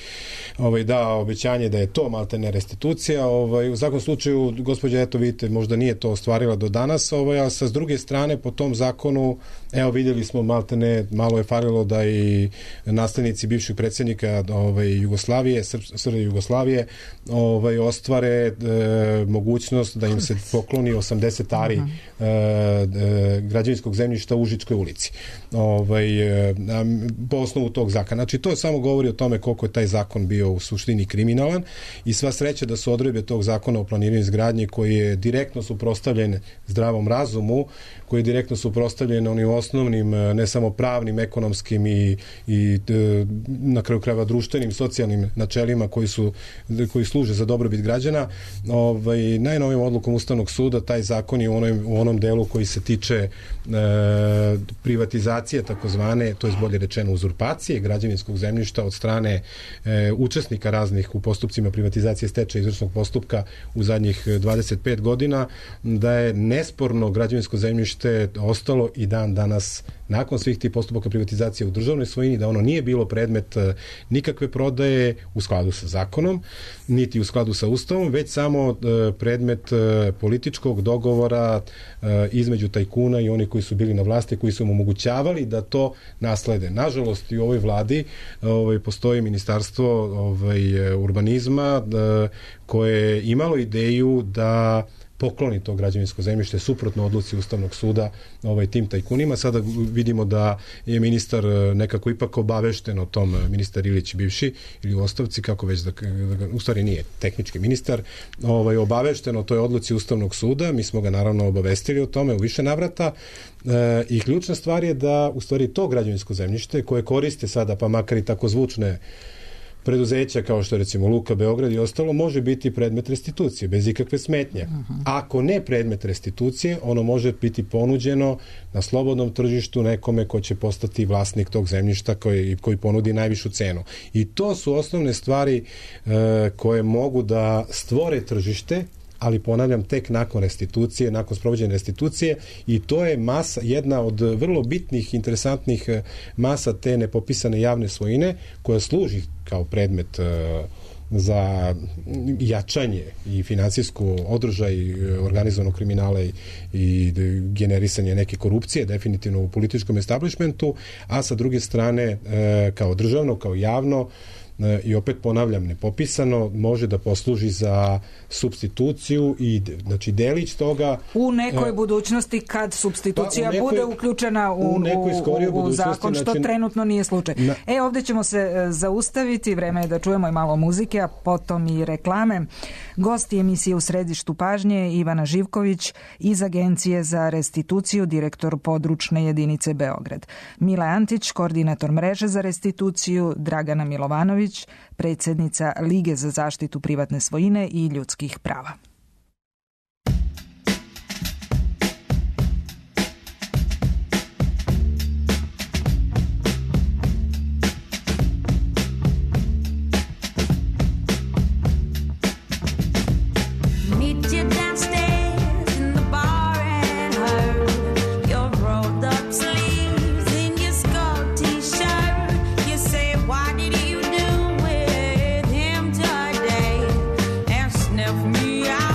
ovaj, dao obećanje da je to maltene restitucija. Ovaj, u svakom slučaju, gospođa, eto vidite, možda nije to ostvarila do danas, ovaj, a sa s druge strane, po tom zakonu, evo vidjeli smo maltene, malo je falilo da i nastavnici bivših predsjednika ovaj, Jugoslavije, Srbije Jugoslavije, ovaj, ostvare e, mogućnost da im se pokloni osamdeset ari uh-huh. e, e, građevinskog zemljišta u Užičkoj ulici. Ovaj, e, po osnovu tog zakona. Znači, to samo govori o tome koliko je taj zakon bio u suštini kriminalan i sva sreća da su odredbe tog zakona o planiranju izgradnje koji je direktno suprotstavljen zdravom razumu, koji je direktno suprotstavljen onim osnovnim, ne samo pravnim, ekonomskim i, i na kraju krajeva društvenim, socijalnim načelima koji su koji služe za dobrobit građana. Ovaj, najnovijom odlukom Ustavnog suda taj zakon je u onom, u onom delu koji se tiče e, privatizacije takozvane, to je bolje rečeno uzurpacije građevinskog zemljišta od strane e, učesnika raznih u postupcima privatizacije stečaja izvršnog postupka u zadnjih dvadeset pet godina, da je nesporno građevinsko zemljište ostalo i dan danas nakon svih tih postupaka privatizacije u državnoj svojini, da ono nije bilo predmet nikakve prodaje u skladu sa zakonom, niti u skladu sa Ustavom, već samo predmet političkog dogovora između tajkuna i oni koji su bili na vlasti, koji su mu omogućavali da to naslede. Nažalost, i u ovoj vladi ovaj, postoji ministarstvo ovaj, urbanizma koje je imalo ideju da pokloni to građevinsko zemljište suprotno odluci Ustavnog suda ovaj, tim tajkunima. Sada vidimo da je ministar nekako ipak obavešten o tom, ministar Ilić bivši ili u ostavci, kako već da, da u stvari nije tehnički ministar, ovaj, obavešten o toj odluci Ustavnog suda. Mi smo ga naravno obavestili o tome u više navrata e, i ključna stvar je da u stvari to građevinsko zemljište koje koriste sada, pa makar i tako zvučne preduzeća kao što je recimo Luka Beograd i ostalo, može biti predmet restitucije bez ikakve smetnje. Ako ne predmet restitucije, ono može biti ponuđeno na slobodnom tržištu nekome ko će postati vlasnik tog zemljišta koji, koji ponudi najvišu cenu. I to su osnovne stvari e, koje mogu da stvore tržište, ali ponavljam, tek nakon restitucije, nakon sprovođenja restitucije, i to je masa, jedna od vrlo bitnih, interesantnih masa te nepopisane javne svojine, koja služi kao predmet za jačanje i finansijsku održaj organizovanog kriminala i, i generisanje neke korupcije, definitivno u političkom establishmentu, a sa druge strane kao državno, kao javno, i opet ponavljam, nepopisano, može da posluži za supstituciju i znači delić toga u nekoj uh, budućnosti kad supstitucija pa nekoj, bude uključena u, u, u, u zakon, što znači, trenutno nije slučaj. Na, e, ovde ćemo se zaustaviti, vreme je da čujemo i malo muzike, a potom i reklame. Gosti emisije U središtu pažnje Ivana Živković iz Agencije za restituciju, direktor područne jedinice Beograd. Mila Antić, koordinator mreže za restituciju, Dragana Milovanović, predsjednica Lige za zaštitu privatne svojine i ljudskih prava. Me out.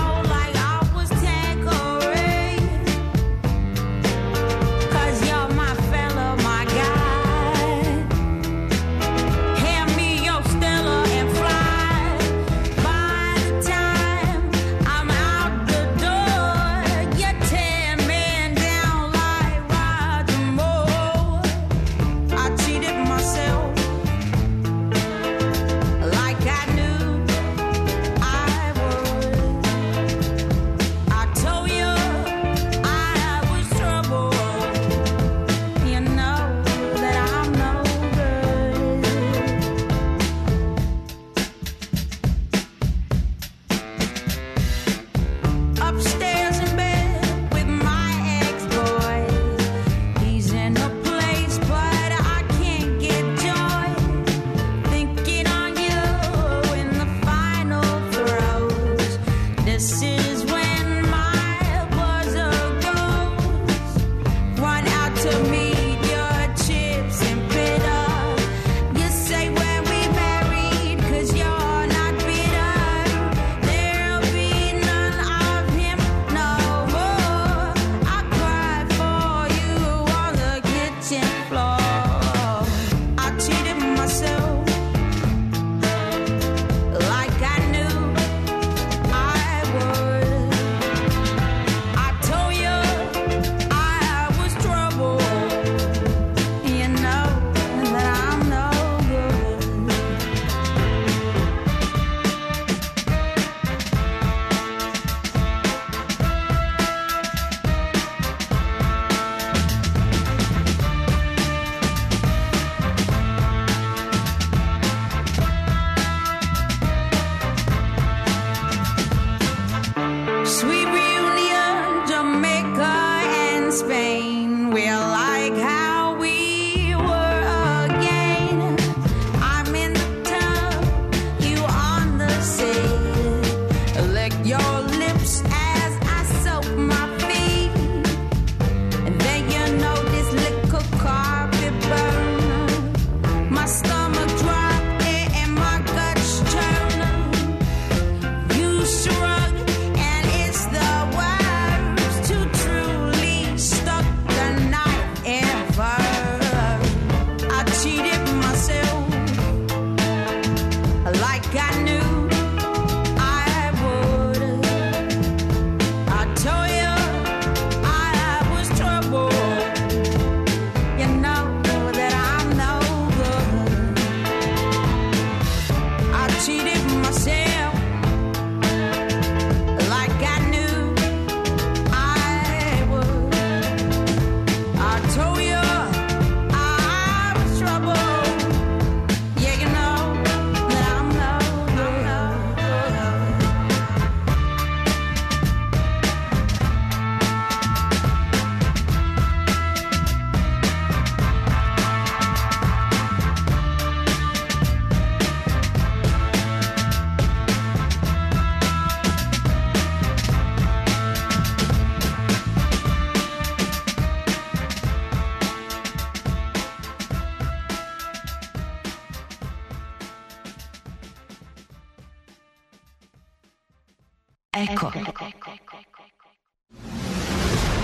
Eko.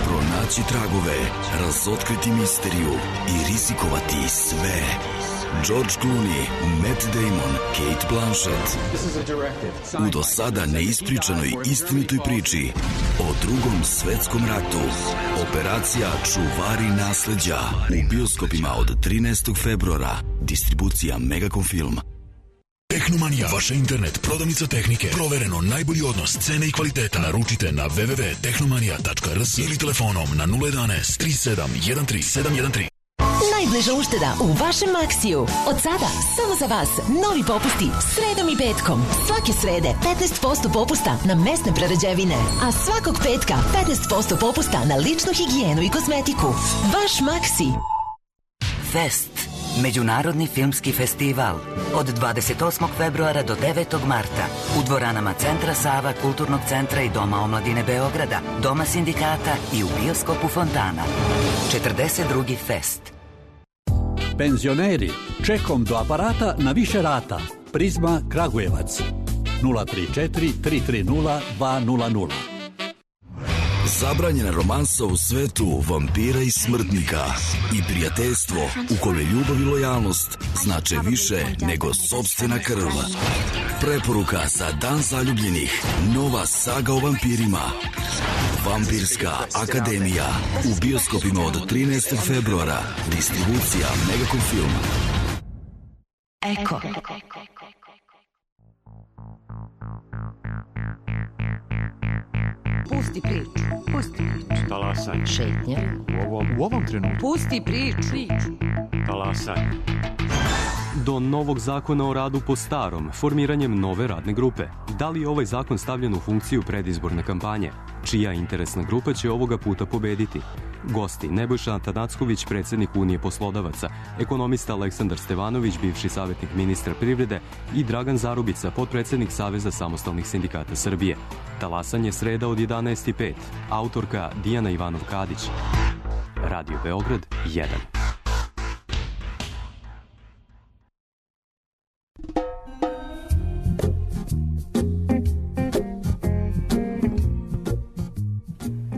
Pronaći tragove, razotkriti misteriju i rizikovati sve. George Clooney, Matt Damon, Kate Blanchett. U do sada neispričanoj istinitoj priči o Drugom svetskom ratu. Operacija Čuvari nasleđa u bioskopima od trinaestog februara. Distribucija Megacom Film. Tehnomanija, vaša internet prodavnica tehnike. Provereno najbolji odnos cene i kvaliteta. Naručite na w w w tačka tehnomanija tačka r s ili telefonom na nula jedanaest tri sedam jedan tri sedam jedan tri. Najbliža ušteda u vašem Maksiju. Od sada samo za vas novi popusti sredom i petkom. Svake srede petnaest posto popusta na mesne prerađevine, a svakog petka petnaest posto popusta na ličnu higijenu i kozmetiku. Vaš Maksi. Fest. Međunarodni filmski festival od dvadeset osmog februara do devetog marta u dvoranama Centra Sava, Kulturnog centra i Doma omladine Beograda, Doma sindikata i u bioskopu Fontana. četrdeset drugi Fest. Penzioneri, čekom do aparata na više rata. Prizma Kragujevac. nula tri četiri tri tri nula dva nula nula. Zabranjena romansa u svetu vampira i smrtnika i prijateljstvo u kome ljubav i lojalnost znače više nego sopstvena krv. Preporuka za Dan zaljubljenih. Nova saga o vampirima. Vampirska akademija u bioskopima od trinaestog februara. Distribucija Megacom Film. Eko. Pusti priču, pusti priču. Talasaj. Šetnja. U ovom, u ovom trenutku. Pusti priču. Talasaj. Do novog zakona o radu po starom, formiranjem nove radne grupe. Da li je ovaj zakon stavljen u funkciju predizborne kampanje? Čija interesna grupa će ovoga puta pobediti? Gosti: Nebojša Atanacković, predsjednik Unije poslodavaca, ekonomista Aleksandar Stevanović, bivši savjetnik ministra privrede i Dragan Zarubica, potpredsjednik Saveza samostalnih sindikata Srbije. Talasanje sreda od jedanaest i pet. Autorka Dijana Ivanov-Kadić. Radio Beograd jedan.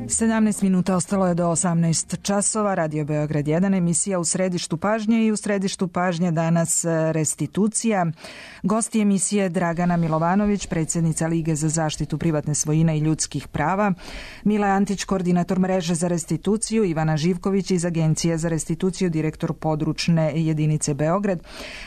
sedamnaest minuta ostalo je do osamnaest časova. Radio Beograd jedan, emisija u središtu pažnje i u središtu pažnje danas restitucija. Gosti emisije Dragana Milovanović, predsjednica Lige za zaštitu privatne svojine i ljudskih prava, Mila Antić, koordinator mreže za restituciju, Ivana Živković iz Agencije za restituciju, direktor područne jedinice Beograd.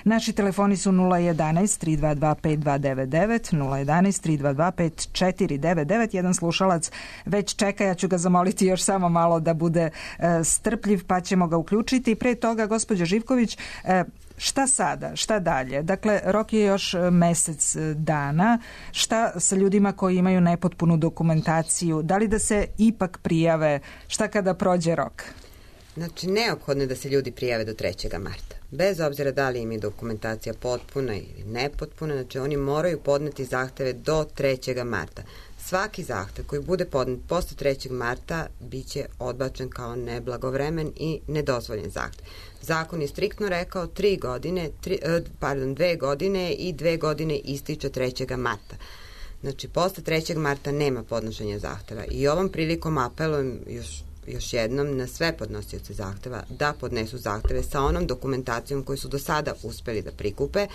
Naši telefoni su nula jedanaest tri dva dva pet dva devet devet, nula jedanaest tri dva dva pet četiri devet devet. Jedan slušalac već čeka, ja ću ga zamoliti još samo malo da bude e, strpljiv, pa ćemo ga uključiti. Pre toga, gospođa Živković, e, šta sada, šta dalje? Dakle, rok je još mesec dana. Šta sa ljudima koji imaju nepotpunu dokumentaciju? Da li da se ipak prijave? Šta kada prođe rok? Znači, neophodno je da se ljudi prijave do trećeg marta. Bez obzira da li im je dokumentacija potpuna ili nepotpuna, znači oni moraju podneti zahteve do trećeg marta. Svaki zahtev koji bude podnet posle trećeg marta biće odbačen kao neblagovremen i nedozvoljen zahtev. Zakon je striktno rekao tri godine, tri, pardon, dve godine i dve godine ističe trećeg marta. Znači, posle trećeg marta nema podnošenja zahteva. I ovom prilikom apelujem još još jednom na sve podnosioce zahteva da podnesu zahteve sa onom dokumentacijom koju su do sada uspeli da prikupe,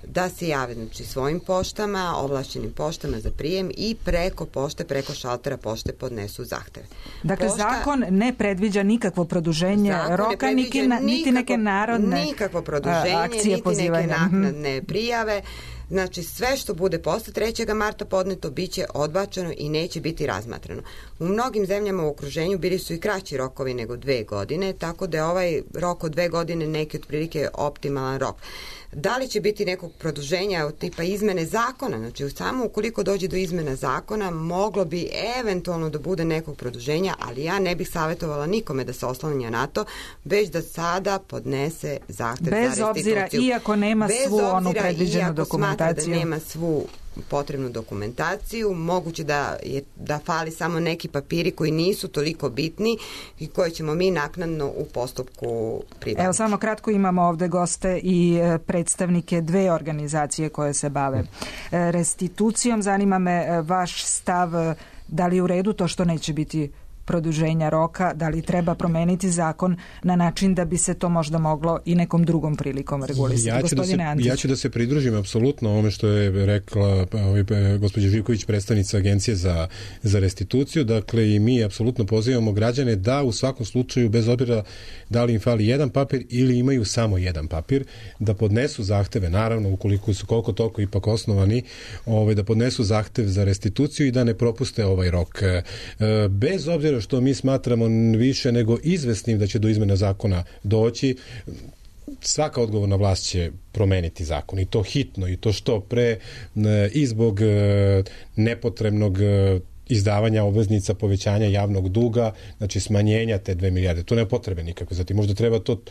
da se jave, znači, svojim poštama, ovlašćenim poštama za prijem i preko pošte, preko šaltera pošte podnesu zahteve. Dakle, Pošta, zakon ne predviđa nikakvo produženje roka, niti, na, niti neke narodne nikakvo produženje, akcije niti pozivanja. Neke naknadne prijave. Znači, sve što bude posle trećeg marta podneto biće odbačeno i neće biti razmatrano. U mnogim zemljama u okruženju bili su i kraći rokovi nego dve godine, tako da je ovaj rok od dve godine neki otprilike optimalan rok. Da li će biti nekog produženja od tipa izmene zakona? Znači, samo ukoliko dođe do izmena zakona, moglo bi eventualno da bude nekog produženja, ali ja ne bih savjetovala nikome da se oslanja na to, već da sada podnese zahtev za restituciju. Bez obzira, iako nema Bez svu obzira, onu predviđenu dokumentaciju. Da nema svu potrebnu dokumentaciju, moguće da, je, da fali samo neki papiri koji nisu toliko bitni i koje ćemo mi naknadno u postupku pribaviti. Evo samo kratko, imamo ovde goste i predstavnike dve organizacije koje se bave restitucijom. Zanima me vaš stav, da li je u redu to što neće biti produženja roka, da li treba promeniti zakon na način da bi se to možda moglo i nekom drugom prilikom regulisati. Ja ću, da se, ja ću da se pridružim apsolutno ovome što je rekla gospođa Živković, predstavnica Agencije za, za restituciju. Dakle, i mi apsolutno pozivamo građane da u svakom slučaju, bez obzira da li im fali jedan papir ili imaju samo jedan papir, da podnesu zahteve, naravno ukoliko su koliko toliko ipak osnovani, ovaj, da podnesu zahtev za restituciju i da ne propuste ovaj rok. Bez obzira što mi smatramo više nego izvesnim da će do izmena zakona doći, svaka odgovorna vlast će promeniti zakon i to hitno i to što pre i zbog nepotrebnog izdavanja obveznica, povećanja javnog duga, znači smanjenja te dve milijarde. To nema potrebe nikako. Zatim možda treba to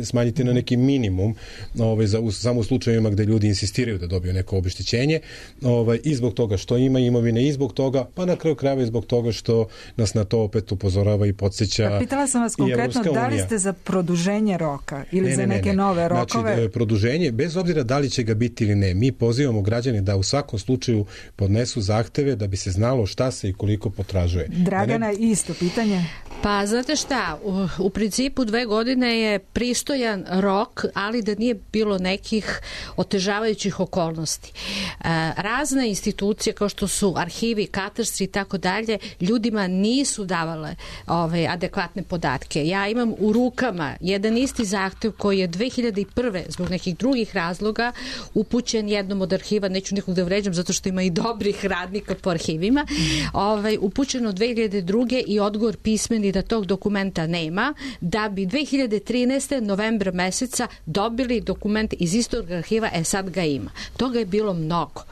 smanjiti na neki minimum, ovaj, za, u, samo u slučajevima gde ljudi insistiraju da dobiju neko obeštećenje, ovaj, i zbog toga što ima imovine, i zbog toga, pa na kraju krajeva i zbog toga što nas na to opet upozorava i podsjeća. Pa pitala sam vas konkretno, da li ste za produženje roka ili ne, za neke ne, ne. nove rokove? Znači, produženje, bez obzira da li će ga biti ili ne, mi pozivamo građane da u svakom slučaju podnesu zahteve da bi se znalo šta se i koliko potražuje. Dragana, ne... isto pitanje? Pa, znate šta, u, u principu dve godine je pristojan rok, ali da nije bilo nekih otežavajućih okolnosti. E, razne institucije kao što su arhivi, katastri i tako dalje, ljudima nisu davale ove, adekvatne podatke. Ja imam u rukama jedan isti zahtev koji je dve hiljade prve zbog nekih drugih razloga upućen jednom od arhiva, neću nikog da vređam zato što ima i dobrih radnika po arhivima, ovaj, upućeno dve hiljade druge i odgovor pismeni da tog dokumenta nema, da bi dve hiljade trinaeste novembra meseca dobili dokument iz istog arhiva, e sad ga ima. Toga je bilo mnogo.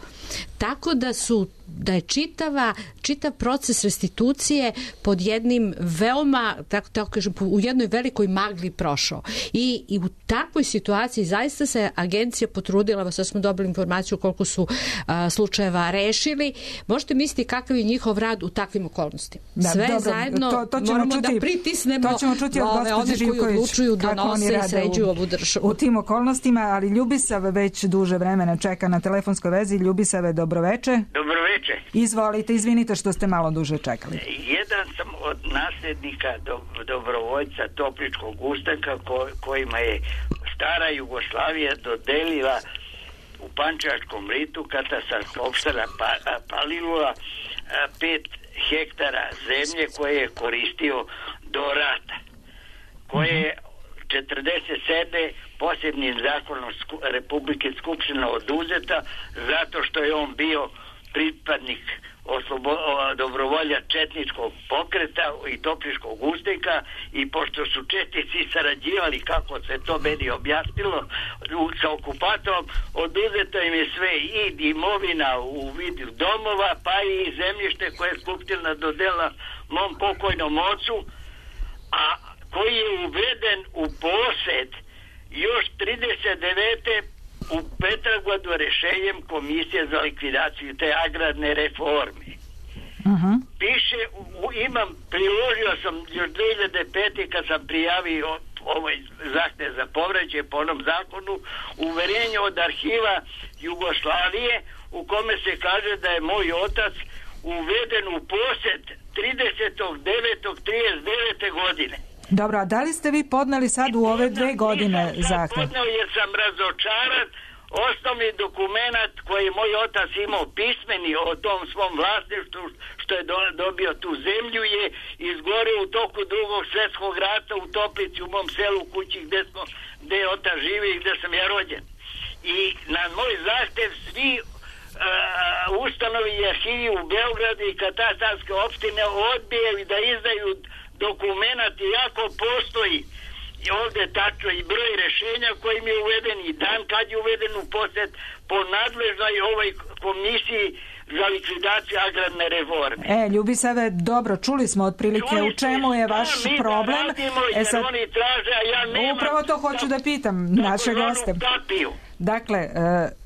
Tako da su da je čitava, čitav proces restitucije pod jednim veoma, tako, tako kažem, u jednoj velikoj magli prošao. I, i u takvoj situaciji zaista se agencija potrudila, sad smo dobili informaciju koliko su a, slučajeva rešili. Možete misliti kakav je njihov rad u takvim okolnostima. Da, Sve dobro, zajedno to, to moramo čuti, da pritisnemo to ćemo čuti od ove, one koji odlučuju da nose i sređuju ovu državu. U tim okolnostima, ali Ljubisav već duže vremena čeka na telefonskoj vezi. Ljubisave, dobroveče. Dobroveče. Izvolite, izvinite što ste malo duže čekali. Jedan sam od nasljednika do, dobrovoljca Topličkog ustanka ko, kojima je stara Jugoslavija dodelila u Pančevačkom ritu katastarska opština pa, Palilula pet hektara zemlje koje je koristio do rata, koje je četrdeset sedme posebnim zakonom Republike Skupština oduzeta zato što je on bio pripadnik oslobo, dobrovolja četničkog pokreta i Topličkog ustanka i pošto su četnici sarađivali, kako se to meni objasnilo, sa okupatorom, oduzeto im je sve, i imovina u vidu domova, pa i zemljište koje je Skupština dodela mom pokojnom ocu, a koji je uveden u posed još trideset devete u Petrogradu rešenjem Komisije za likvidaciju te agrarne reforme. Uh-huh. Piše, u, imam, priložio sam još dve hiljade pete kad sam prijavio ovaj zahtev za povraćaj po onom zakonu, uverenje od arhiva Jugoslavije u kome se kaže da je moj otac uveden u posed tridesetog devetog trideset devete godine. Dobro, a da li ste vi podneli sad u ove dve godine zahtev? Podneo jer sam razočaran. Osnovni dokument koji je moj otac imao pismeni o tom svom vlasništvu što je do, dobio tu zemlju je izgorio u toku drugog svjetskog rata u Toplici, u mom selu, u kući gde, smo, gde je otac živi i gde sam ja rođen. I na moj zahtev svi uh, ustanovi i arhivi u Beogradu i katastarske opštine odbijaju da izdaju dokumenat, iako postoji i ovdje tačno i broj rešenja kojim je uveden i dan kad je uveden u posjed po nadležnoj ovoj komisiji za likvidaciju agrarne reforme. E, Ljubisave, dobro, čuli smo otprilike čuli u čemu je vaš problem. Radimo, e sad, oni traže, a ja nemam, upravo to hoću da pitam naše goste. Dakle,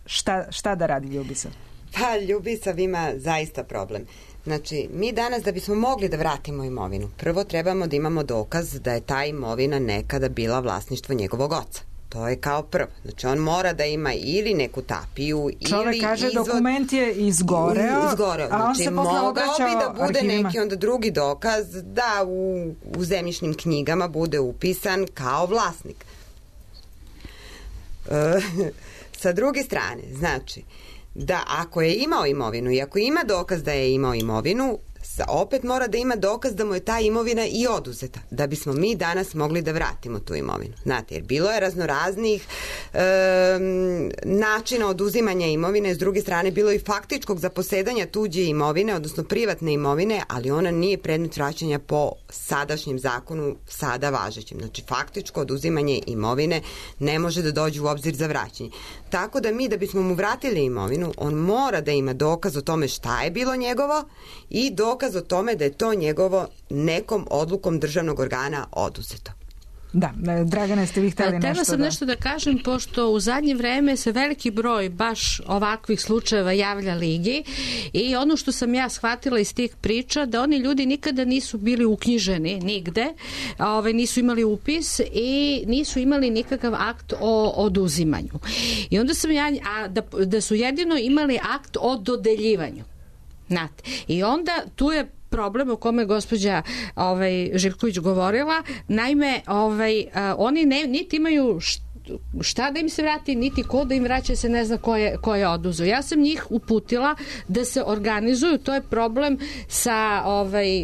šta, šta da radi Ljubisav? Pa Ljubisav ima zaista problem. Znači, mi danas da bismo mogli da vratimo imovinu, prvo trebamo da imamo dokaz da je ta imovina nekada bila vlasništvo njegovog oca. To je kao prvo. Znači, on mora da ima ili neku tapiju, Čovek ili kaže izvod... dokument je izgoreo, izgoreo. a on znači, se posle obraćao mogao bi da bude arhivima. neki onda drugi dokaz da u, u zemljišnim knjigama bude upisan kao vlasnik. E, sa druge strane, znači, da ako je imao imovinu i ako ima dokaz da je imao imovinu, opet mora da ima dokaz da mu je ta imovina i oduzeta, da bismo mi danas mogli da vratimo tu imovinu. Znate, jer bilo je raznoraznih e, načina oduzimanja imovine, s druge strane bilo i faktičkog zaposedanja tuđe imovine, odnosno privatne imovine, ali ona nije predmet vraćanja po sadašnjem zakonu, sada važećem. Znači, faktičko oduzimanje imovine ne može da dođe u obzir za vraćanje. Tako da mi, da bismo mu vratili imovinu, on mora da ima dokaz o tome šta je bilo njegovo i dokaz o tome da je to njegovo nekom odlukom državnog organa oduzeto. Da, Dragana, ste vi hteli nešto da... Htela sam nešto da kažem, pošto u zadnje vreme se veliki broj baš ovakvih slučajeva javlja Ligi i ono što sam ja shvatila iz tih priča, da oni ljudi nikada nisu bili uknjiženi nigde, ovaj, nisu imali upis i nisu imali nikakav akt o oduzimanju. I onda sam ja, a da, da su jedino imali akt o dodeljivanju. Znate. I onda tu je problem o kome je gospođa ovaj, Živković govorila. Naime, ovaj, a, oni ne, niti imaju šta da im se vrati, niti ko da im vraća, se ne zna ko je, ko je oduzeo. Ja sam njih uputila da se organizuju, to je problem sa, ovaj,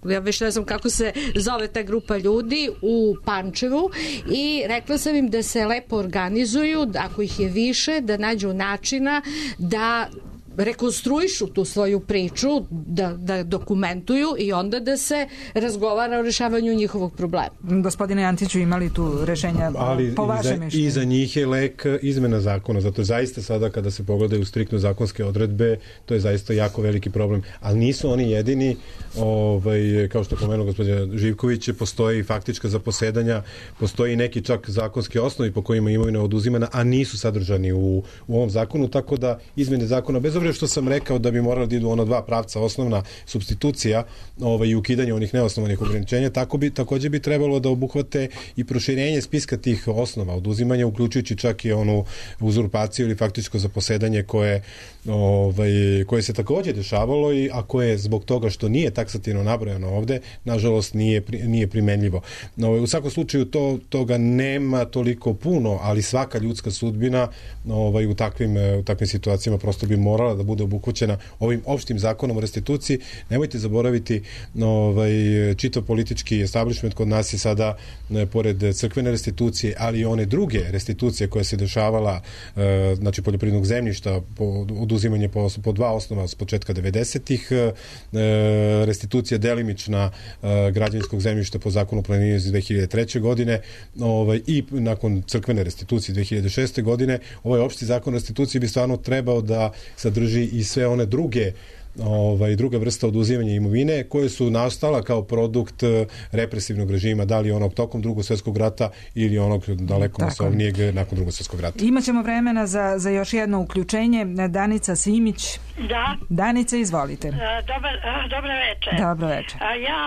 ja već ne znam kako se zove ta grupa ljudi u Pančevu, i rekla sam im da se lepo organizuju, ako ih je više, da nađu načina da rekonstruišu tu svoju priču, da, da dokumentuju i onda da se razgovara o rešavanju njihovog problema. Gospodine Antiću, imali tu rešenja ali po vašem mišljenju? I za njih je lek izmena zakona, zato zaista sada kada se pogledaju striktno zakonske odredbe, to je zaista jako veliki problem. Ali nisu oni jedini, ovaj, kao što je pomenuo gospođa Živković, postoji faktička zaposedanja, postoji neki čak zakonski osnovi po kojima imovina oduzimana, a nisu sadržani u, u ovom zakonu, tako da izmene zakona, bez obzira što sam rekao da bi morali da idu ono dva pravca, osnovna supstitucija ovaj, i ukidanje onih neosnovanih ograničenja, tako bi, takođe bi trebalo da obuhvate i proširenje spiska tih osnova oduzimanja, uključujući čak i onu uzurpaciju ili faktičko zaposedanje koje, ovaj, koje se takođe dešavalo, i, a koje zbog toga što nije taksativno nabrojano ovde, nažalost nije, nije primenljivo. Ovaj, u svakom slučaju to, toga nema toliko puno, ali svaka ljudska sudbina ovaj, u, takvim, u takvim situacijama prosto bi morala da bude obuhvaćena ovim opštim zakonom o restituciji. Nemojte zaboraviti, ovaj, čitav politički establishment kod nas je sada, ne, pored crkvene restitucije, ali i one druge restitucije koja se dešavala, e, znači poljoprivrednog zemljišta, po, oduzimanje po, po dva osnova s početka devedesetih, e, restitucija delimična e, građevinskog zemljišta po zakonu o planiranju iz dve hiljade treće. godine, ovaj, i nakon crkvene restitucije dve hiljade šeste. godine, ovaj opšti zakon o restituciji bi stvarno trebao da sadrži i sve one druge ovaj, druga vrsta oduzimanja imovine koje su nastala kao produkt represivnog režima, da li onog tokom drugog svjetskog rata ili onog daleko masovnijeg nakon drugog svjetskog rata. Imaćemo vremena za, za još jedno uključenje. Danica Simić. Da. Danica, izvolite. Dobar, dobro večer. Dobro večer. Ja,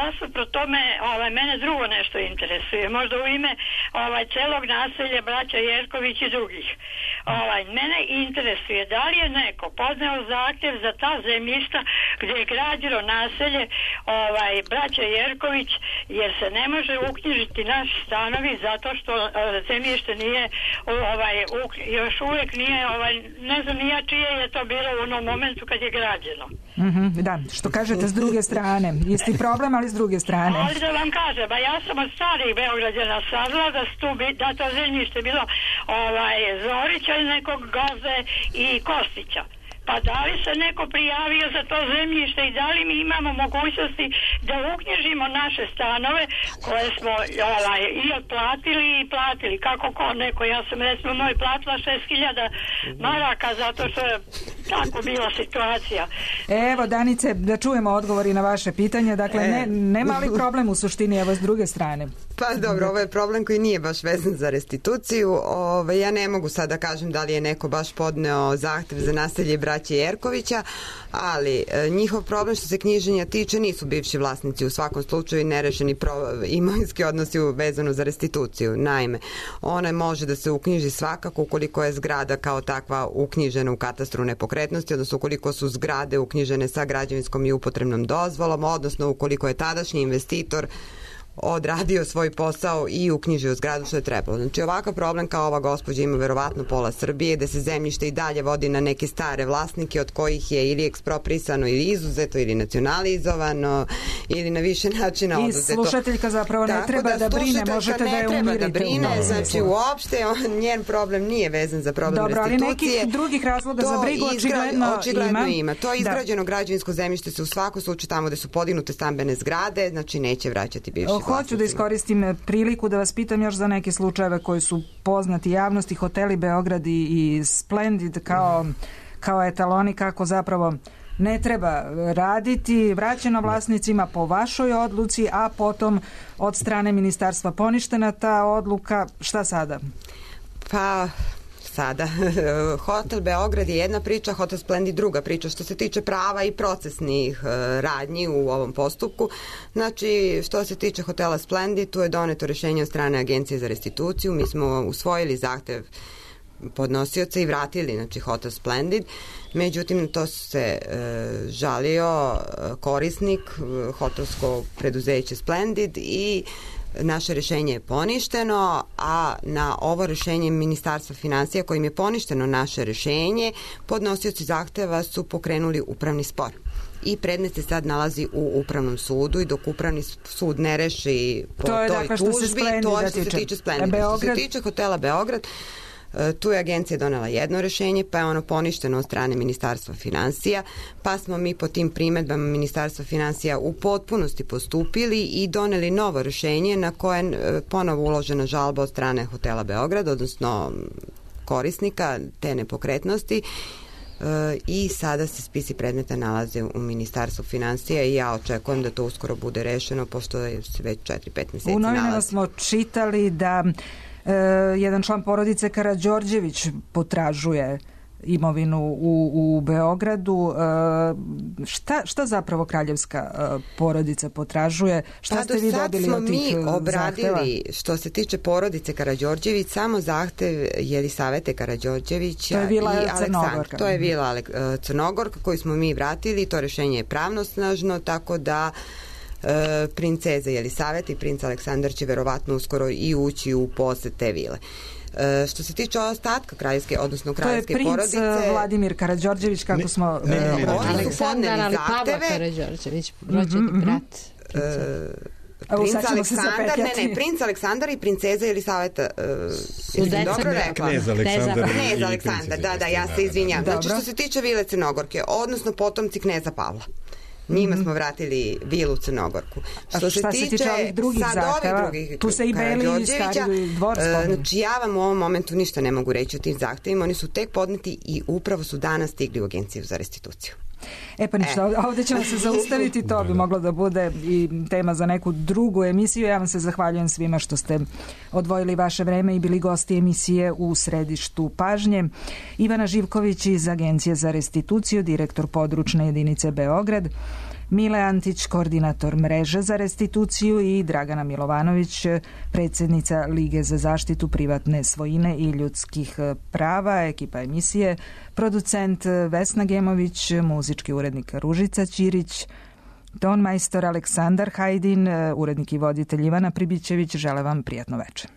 nasuprot tome, ovaj, mene drugo nešto interesuje. Možda u ime ovaj, celog naselja braća Jerković i drugih. Ovaj, mene interesuje da li je neko podneo zahtjev za ta zemljišta gdje je građeno naselje ovaj, braća Jerković, jer se ne može uknjižiti naši stanovi zato što uh, zemljište nije ovaj, uk, još uvijek nije, ovaj, ne znam nija čije je to bilo u onom momentu kad je građeno. Mm-hmm, da, što kažete s druge strane. Isti problem, ali s druge strane. Ali da vam kažem, ba ja sam od starih Beograđana saznala da, da to zemljište bilo ovaj, Zorića i nekog Gaze i Kostića. Pa da li se neko prijavio za to zemljište i da li mi imamo mogućnosti da uknjižimo naše stanove koje smo ovaj, i otplatili i platili. Kako ko neko, ja sam recimo moj platila šest hiljada maraka zato što tako bila situacija. Evo, Danice, da čujemo odgovori na vaše pitanje. Dakle, ne, ne mali problem u suštini, evo s druge strane. Pa dobro, ovo je problem koji nije baš vezan za restituciju. Ove, ja ne mogu sad da kažem da li je neko baš podneo zahtev za naselje braće Jerkovića, ali e, njihov problem što se knjiženja tiče nisu bivši vlasnici u svakom slučaju nerešeni pro, imovinski odnosi vezano za restituciju. Naime, ona može da se uknjiži svakako ukoliko je zgrada kao takva uknjižena u katastru nepokretnosti, odnosno ukoliko su zgrade uknjižene sa građevinskom i upotrebnom dozvolom, odnosno ukoliko je tadašnji investitor odradio svoj posao i uknjižio zgradu što je trebalo. Znači ovakav problem kao ova gospođa ima verovatno pola Srbije, gde se zemljište i dalje vodi na neke stare vlasnike od kojih je ili eksproprisano ili izuzeto ili nacionalizovano ili na više načina oduzeto. I slušateljka zapravo ne treba da, da brine, možete da je umirite. Da brine, znači uopšte on, njen problem nije vezan za problem Dobro, restitucije. Dobro, ali nekih drugih razloga za brigu očigledno, očigledno ima. ima. To izgrađeno da. građevinsko zemljište se u svakom slučaju tamo gde su podignute stambene zgrade, znači neće vraćati bivši vlasnici. Hoću da iskoristim priliku da vas pitam još za neke slučajeve koji su poznati javnosti, hoteli Beograd i, i Splendid kao, kao etaloni kako zapravo ne treba raditi, vraćeno vlasnicima po vašoj odluci, a potom od strane ministarstva poništena ta odluka. Šta sada? Pa... sada. Hotel Beograd je jedna priča, Hotel Splendid druga priča što se tiče prava i procesnih radnji u ovom postupku. Znači, što se tiče Hotela Splendid, tu je doneto rešenje od strane Agencije za restituciju. Mi smo usvojili zahtev podnosioca i vratili, znači, Hotel Splendid. Međutim, to se e, žalio korisnik, hotelsko preduzeće Splendid i naše rešenje je poništeno, a na ovo rešenje Ministarstva finansija kojim je poništeno naše rešenje, podnosioci zahteva su pokrenuli upravni spor. I predmet se sad nalazi u upravnom sudu i dok upravni sud ne reši po to je, toj dakle, tužbi, se to je što se tiče Splendida. Što se tiče hotela Beograd, tu je agencija donela jedno rešenje, pa je ono poništeno od strane Ministarstva finansija, pa smo mi po tim primedbama Ministarstva finansija u potpunosti postupili i doneli novo rešenje na koje je ponovo uložena žalba od strane hotela Beograd, odnosno korisnika te nepokretnosti. I sada se spisi predmeta nalaze u Ministarstvu finansija i ja očekujem da to uskoro bude rešeno, pošto je se već četiri pet meseci nalazi. U novinama smo čitali da e, jedan član porodice Karađorđević potražuje imovinu u, u Beogradu. E, šta, šta zapravo kraljevska e, porodica potražuje? Šta pa ste vi dobili od tih zahteva? Pa do sad smo mi obradili, zahteva? Što se tiče porodice Karađorđević, samo zahtev Jelisavete Karađorđevića to je vila i Aleksandra. To je vila Crnogorka koju smo mi vratili. To rešenje je pravnosnažno, tako da e, princeza Jelisaveta i princ Aleksandar će verovatno uskoro i ući u posed te vile. E, što se tiče ostatka kraljevske, odnosno kraljevske porodice... To je princ Vladimir Karađorđević, kako ne, smo... Ne, ne, ne, ne. Aleksandar, ali Pavla Karađorđević, rođeni mm-hmm. brat. E, princ Aleksandar, ne, ne, princ Aleksandar i princeza Jelisaveta, uh, dobro rekla. Knez Aleksandar. Knez Aleksandar, da, da, ja se izvinjam. Znači, što se tiče vile Crnogorke, odnosno potomci kneza Pavla. Njima smo vratili vilu Crnogorku. Što se tiče, tiče ovih drugih zahteva, drugih tu se i Beli i Stari dvor spominju. Znači, ja vam u ovom momentu ništa ne mogu reći o tim zahtevima. Oni su tek podneti i upravo su danas stigli u Agenciju za restituciju. E pa ništa, e. ovdje ćemo se zaustaviti, to bi moglo da bude i tema za neku drugu emisiju. Ja vam se zahvaljujem svima što ste odvojili vaše vreme i bili gosti emisije U središtu pažnje. Ivana Živković iz Agencije za restituciju, direktor područne jedinice Beograd, Mile Antić, koordinator mreže za restituciju i Dragana Milovanović, predsjednica Lige za zaštitu privatne svojine i ljudskih prava, ekipa emisije, producent Vesna Gemović, muzički urednik Ružica Ćirić, ton majstor Aleksandar Hajdin, urednik i voditelj Ivana Pribićević. Žele vam prijatno večer.